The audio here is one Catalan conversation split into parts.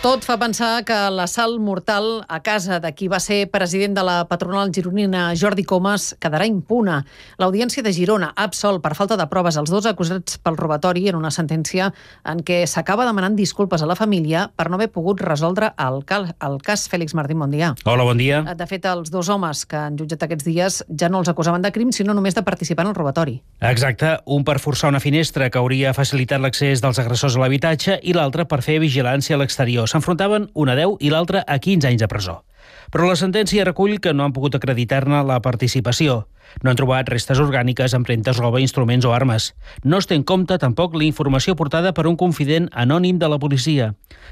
Tot fa pensar que l'assalt mortal a casa de qui va ser president de la patronal gironina, Jordi Comas, quedarà impune. L'Audiència de Girona ha absolt per falta de proves els dos acusats pel robatori en una sentència en què s'acaba demanant disculpes a la família per no haver pogut resoldre el cas. Fèlix Martín, bon dia. Hola, bon dia. De fet, els dos homes que han jutjat aquests dies ja no els acusaven de crim, sinó només de participar en el robatori. Exacte, un per forçar una finestra que hauria facilitat l'accés dels agressors a l'habitatge i l'altre per fer vigilància a l'exterior. S'enfrontaven un a 10 i l'altre a 15 anys de presó. Però la sentència recull que no han pogut acreditar-ne la participació. No han trobat restes orgàniques, empremtes, roba, instruments o armes. No es té en compte tampoc la informació portada per un confident anònim de la policia.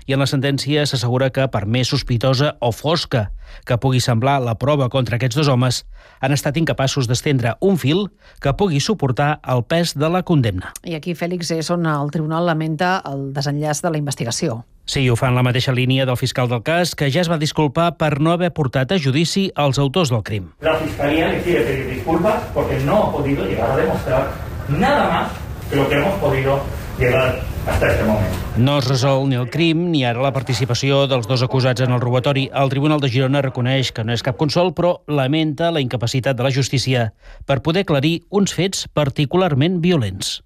I en la sentència s'assegura que, per més sospitosa o fosca que pugui semblar la prova contra aquests dos homes, han estat incapaços d'estendre un fil que pugui suportar el pes de la condemna. I aquí, Fèlix, és on el tribunal lamenta el desenllaç de la investigació. Sí, ho fa en la mateixa línia del fiscal del cas, que ja es va disculpar per no haver portat a judici els autors del crim. La Fiscalía le quiere pedir disculpas porque no ha podido llegar a demostrar nada más que lo que hemos podido llegar hasta este momento. No es resol ni el crim ni ara la participació dels dos acusats en el robatori. El Tribunal de Girona reconeix que no és cap consol, però lamenta la incapacitat de la justícia per poder aclarir uns fets particularment violents.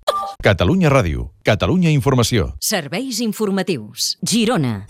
Catalunya Ràdio, Catalunya Informació. Serveis informatius. Girona.